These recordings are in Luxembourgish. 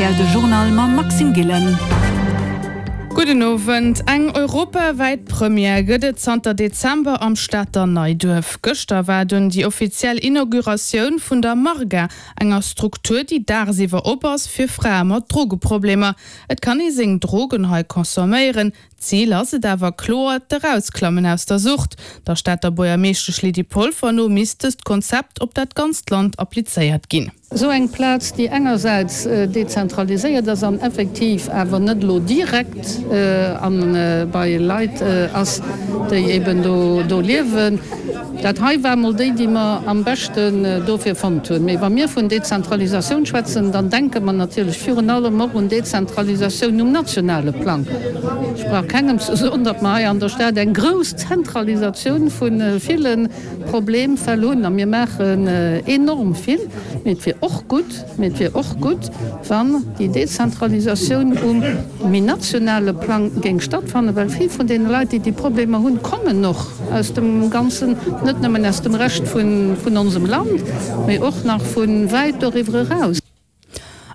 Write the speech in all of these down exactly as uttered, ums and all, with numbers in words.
rtl, de Journal mam Maxime Gillen. Gudden Owend. Eng europawäit Première gëtt et zanter Dezember am Stater Neiduerf. Gëschter war dunn déi offiziell Inauguratioun vun der Marga, enger Struktur, déi dagsiwwer op ass fir Frae mat Drogeproblemer. Et kann ee seng Drogen hei consomméieren, Zil ass et awer kloer, d'Erausklammen aus der Sucht. Der Stater Buergermeeschtesch Lydie Polfer no misst dëst Konzept op dat ganzt Land applizéiert ginn. Esou eng Plaz, déi engersäits dezentraliséiert ass an effektiv awer net elo direkt bei Leit ass, déi eben do liewen. Dat hei war emol déi, déi mer am beschten dofir fonnt hunn. Mee wa mir vun Dezentralisatioun schwätzen, dann denke mer natierlech virun allem och un Dezentralisatioun um nationale Plang. Ech brauch kengem ze soen, datt mer hei an der Stad eng grouss Zentralisatioun vu ville Problemfäll hunn a mir maachen enorm vill. Mee et wier och gutt, mee et wier och gutt, wann déi Dezentralisatioun um méi nationale Plang géing stattfannen, well vill vun deene Leit, déi déi Problemer hunn, kommen och aus dem ganzen, net nëmmen aus dem Rescht vun onsem Land, mee och nach vu wäit doriwwer eraus.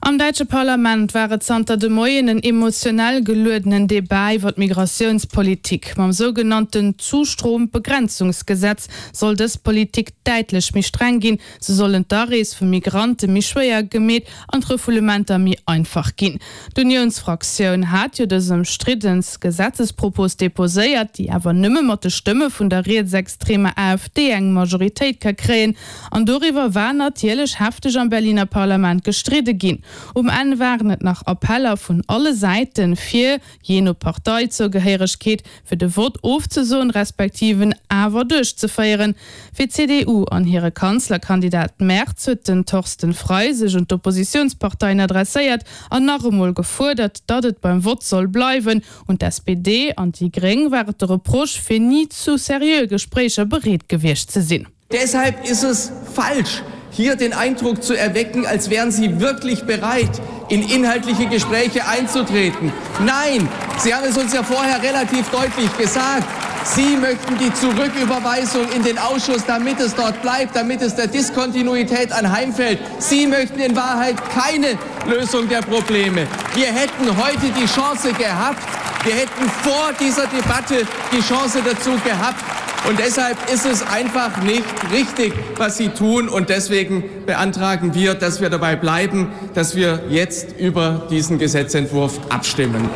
Am däitsche Parlament war et zanter de Moien en emotionell geluedenen Debat iwwer d'Migratiounspolitik. Mam sougenannten Zustrombegrenzungsgesetz soll dës Politik däitlech méi streng ginn. Sou sollen d'Arees vu Migrante méi schwéier gemeet an d'Refoulementer méi einfach ginn. D'Uniounsfraktioun hat jo dës ëmstridde Gesetzespropos deposéiert, déi awer nëmme mat de Stëmme vun der rietsextremer AfD eng Majoritéit ka kréien. An doriwwer war natierlech hefteg am Berliner Parlament gestridde ginn. Um Enn waren et nach Appeller vun alle Säiten, fir, jee no Parteizougehéieregkeet, fir de Vott ofzesoen, respektiv en awer duerchzeféieren. Fir d'CDU an hire Kanzlerkandidat Merz huet den Thorsten Frei sech un d'Oppositiounsparteien adresséiert an nach emol gefuerdert, datt et beim Vott soll bleiwen. Un d'SPD an déi Gréng war et de Reproche, fir ni zu seriöe Gespréicher bereet gewiescht ze sinn. Deshalb ist es falsch, hier den Eindruck zu erwecken, als wären Sie wirklich bereit, in inhaltliche Gespräche einzutreten. Nein, Sie haben es uns ja vorher relativ deutlich gesagt. Sie möchten die Zurücküberweisung in den Ausschuss, damit es dort bleibt, damit es der Diskontinuität anheimfällt. Sie möchten in Wahrheit keine Lösung der Probleme. Wir hätten heute die Chance gehabt, wir hätten vor dieser Debatte die Chance dazu gehabt. Und deshalb ist es einfach nicht richtig, was Sie tun. Und deswegen beantragen wir, dass wir dabei bleiben, dass wir jetzt über diesen Gesetzentwurf abstimmen.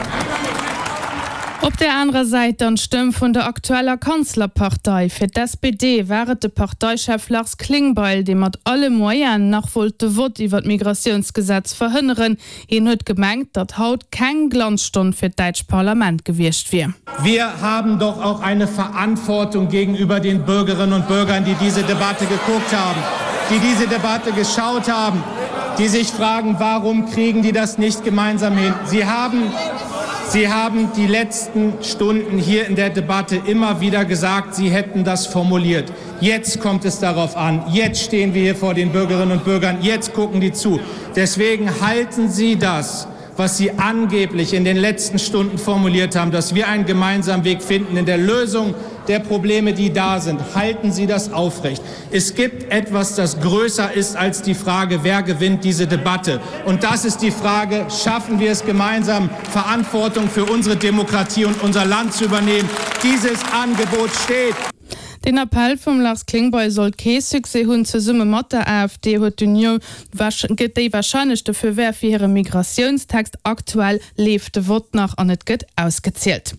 Op der anerer Säit dann d'Stëmm vun der aktueller Kanzlerpartei. Fir d'SPD war et de Parteichef Lars Klingbeil, dee mat alle Moyenen nach wollt de Vott iwwer d'Migratiounsgesetz verhënneren. Hien huet gemengt, datt haut keng Glanzstonn fir d'däitscht Parlament gewiescht wier. Wir haben doch auch eine Verantwortung gegenüber den Bürgerinnen und Bürgern, die diese Debatte geguckt haben, die diese Debatte geschaut haben, die sich fragen, warum kriegen die das nicht gemeinsam hin? Sie haben Sie haben die letzten Stunden hier in der Debatte immer wieder gesagt, Sie hätten das formuliert. Jetzt kommt es darauf an. Jetzt stehen wir hier vor den Bürgerinnen und Bürgern. Jetzt gucken die zu. Deswegen halten Sie das, was Sie angeblich in den letzten Stunden formuliert haben, dass wir einen gemeinsamen Weg finden in der Lösung der Probleme, die da sind. Halten Sie das aufrecht. Es gibt etwas, das größer ist als die Frage, wer gewinnt diese Debatte. Und das ist die Frage, schaffen wir es gemeinsam, Verantwortung für unsere Demokratie und unser Land zu übernehmen? Dieses Angebot steht. Den Appell vum Lars Klingbeil sollt kee Succès hunn. Zesumme mat der AfD huet d'Union gëtt déi warscheinlech de Feu vert fir hire Migratiounstext. Aktuell leeft de Vott nach an et gëtt ausgezielt.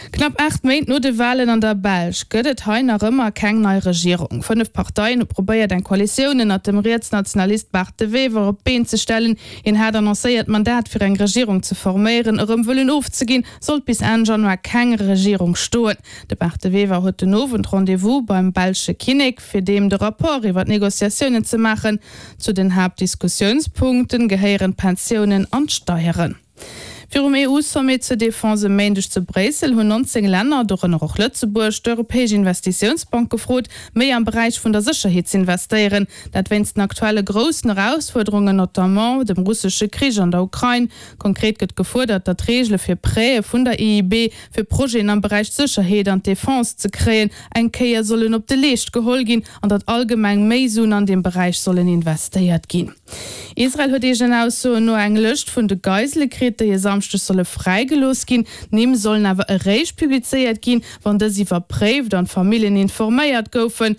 Knapp aacht Méint no de Walen an der Belsch gëtt et hei nach ëmmer keng nei Regierung. Fënnef Parteien hu probéiert eng Koalitioun ënnert dem Rietsnationalist Bart De Wever op d'Been ze stellen. Hien hat annoncéiert d'Mandat fir eng Regierung ze forméieren erëm wëllen ofzeginn, sollt bis Enn Januar keng Regierung stoen. De Bart De Wever huet den Owend Rendez-vous beim belsche Kinnek, fir deem de Rapport iwwer d'Negociatiounen ze maachen. Zu den Haaptdiskussiounspunkte gehéieren d'Pensiounen an d'Steieren. Virum EU-Sommet zur Defense e Méindeg zu Bréissel hunn neunzéng Länner, dorënner och Lëtzebuerg, d'Europäesch Investitiounsbank gefrot, méi am Beräich vun der Sécherheet z'investéieren. Dat wéinst den aktuelle groussen Erausfuerderungen, notamment dem russesche Krich an der Ukrain. Konkret gëtt gefuerdert, datt d'Reegele fir Prêtë vun der E I B fir Projeten am Beräich Sécherheet an Defense ze kréien, eng Kéier sollen op de Leescht geholl ginn an datt allgemeng méi Suen an deem Beräich sollen investéiert ginn. Israel huet eegenen Aussoen no eng Lëscht vun de Geisele kritt, déi e Samschdeg solle fräigelooss ginn. D'Nimm sollen awer eréischt publizéiert ginn, wann dës iwwerpréift an d'Familljen informéiert goufen.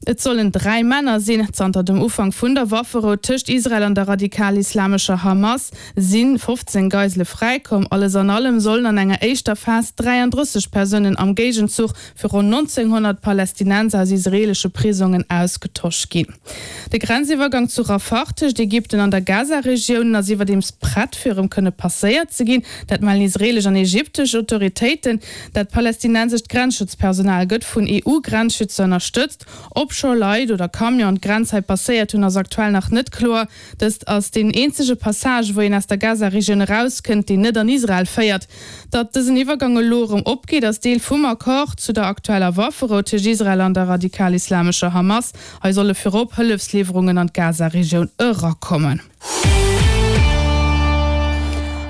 Et sollen dräi Männer sinn. Zanter dem Ufank vun der Wafferou tëscht Israel an der radikal-islamescher Hamas si fofzéng Geisele fräikomm. Alles an allem sollen an enger éischter Phas dräiandrësseg Persounen am Géigenzuch fir ronn nonzénghonnert Palästinenser aus israeelesche Prisongen ausgetosch ginn. De Grenziwwergang zu Rafah tëscht Ägypten an der Gaza-Regioun ass iwwerdeems prett fir erëm kënne passéiert ze ginn. Dat mellen israeelesch an ägyptesch Autoritéiten. Dat palästinensescht Grenzschutzpersonal gëtt vun E U-Grenzschützer ënnerstëtzt. Ob scho Leit oder Camionen d'Grenz hei passéiert hunn, ass aktuell nach net kloer. Dëst ass deen eenzege Passage, wou een aus der Gaza-Regioun erauskënnt, deen net an Israel féiert. Datt dësen Iwwergang elo erëm opgeet, ass Deel vum Accord zu der aktueller Wafferou tëscht Israel an der radikal-islamescher Hamas. Hei solle virop Hëllefsliwwerungen an d'Gaza-Regioun erakommen.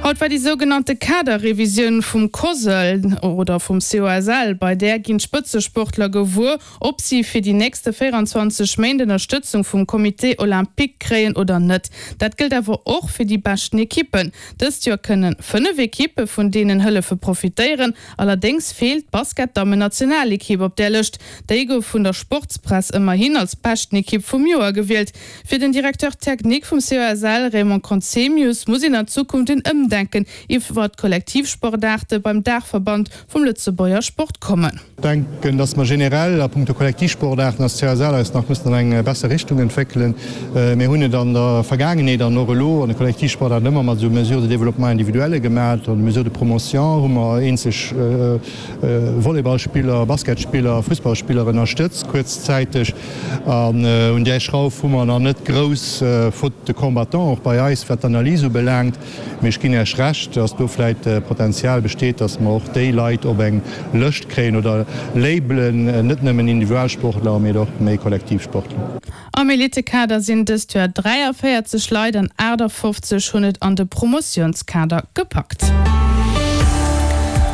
Haut war déi sougenannte Kaderrevisioun vum COSL oder vum C O S L. Bei där ginn d'Spëtzesportler gewuer, ob si fir déi nächste véieranzwanzeg Méint Ënnerstëtzung vum Comité Olympique kréien oder net. Dat gëllt awer och fir déi beschten Ekippen. Dëst Joer kënne fënnef Ekippe vun deenen Hëllefe profitéieren. Allerdéngs feelt d'Basket-Dammen-Nationalekipp op där Lëscht. Déi gouf vun der Sportspress ëmmerhin als beschten Ekipp vum Joer gewielt. Fir den Directeur technique vum C O S L, Raymond Conzemius, muss een an Zukunft en Ëmdenken iwwer d'Kollektivsportaarte beim Daachverband vum Lëtzebuerger Sport kommen. Ech denken, dass mer generell a punkto Kollektivsportaarten als C O S L eis nach müssen an eng besser Richtung entwéckelen. Mir hunn et an der Vergaangenheet an och elo an de Kollektivsportaarten ëmmer mat esou Mesures de développement individuelle gemaach. An de Mesures de promotion hu mer eenzeg Volleyballspiller, Basketspiller, Fussballspiller ënnerstëtzt kuerzzäiteg. An un där Schrauf hu mer nach net grouss faute de combattants och bei eis, wat d'Analys ubelaangt. Mee ech ginn Iech Recht, dass do vläicht Potenzial besteet, dass mer och déi Leit op eng Lëscht kréien oder labelen, net nëmmen Individualsportler, mee och méi Kollektivsportler. Am Elitekader sinn dëst Joer dräiavéierzeg Leit an aachtafofzeg hunn et an de Promotiounskader gepackt.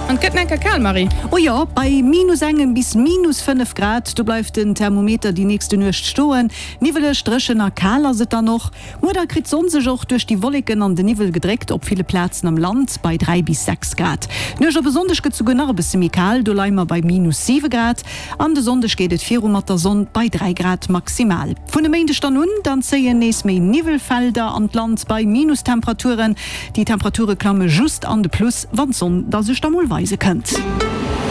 An et gëtt enker kal, Marie. Oh jo, bei minus engem bis minus fënnef Grad, do bleift den Thermometer déi nächste Nuecht stoen. Niwweleg, dréchen a kal ass et dann och. Muer da kritt d'Sonn sech och duerch déi Wolleken an den Niwwel gedréckt, op ville Plazen am Land bei dräi bis sechs Grad. D'Nuecht op e Sonndeg gëtt souguer nach e bësse méi kal, do leie mer bei minus siwe Grad. An de Sonndeg geet et viru mat der Sonn bei dräi Grad maximal. Vun e Méindeg dann un, dann zéien nees méi Niwwelfelder an d'Land bei Minustemperaturen. Déi Temperature klamme just an de Plus, wann d'Sonn da sech da mol weise kënnt.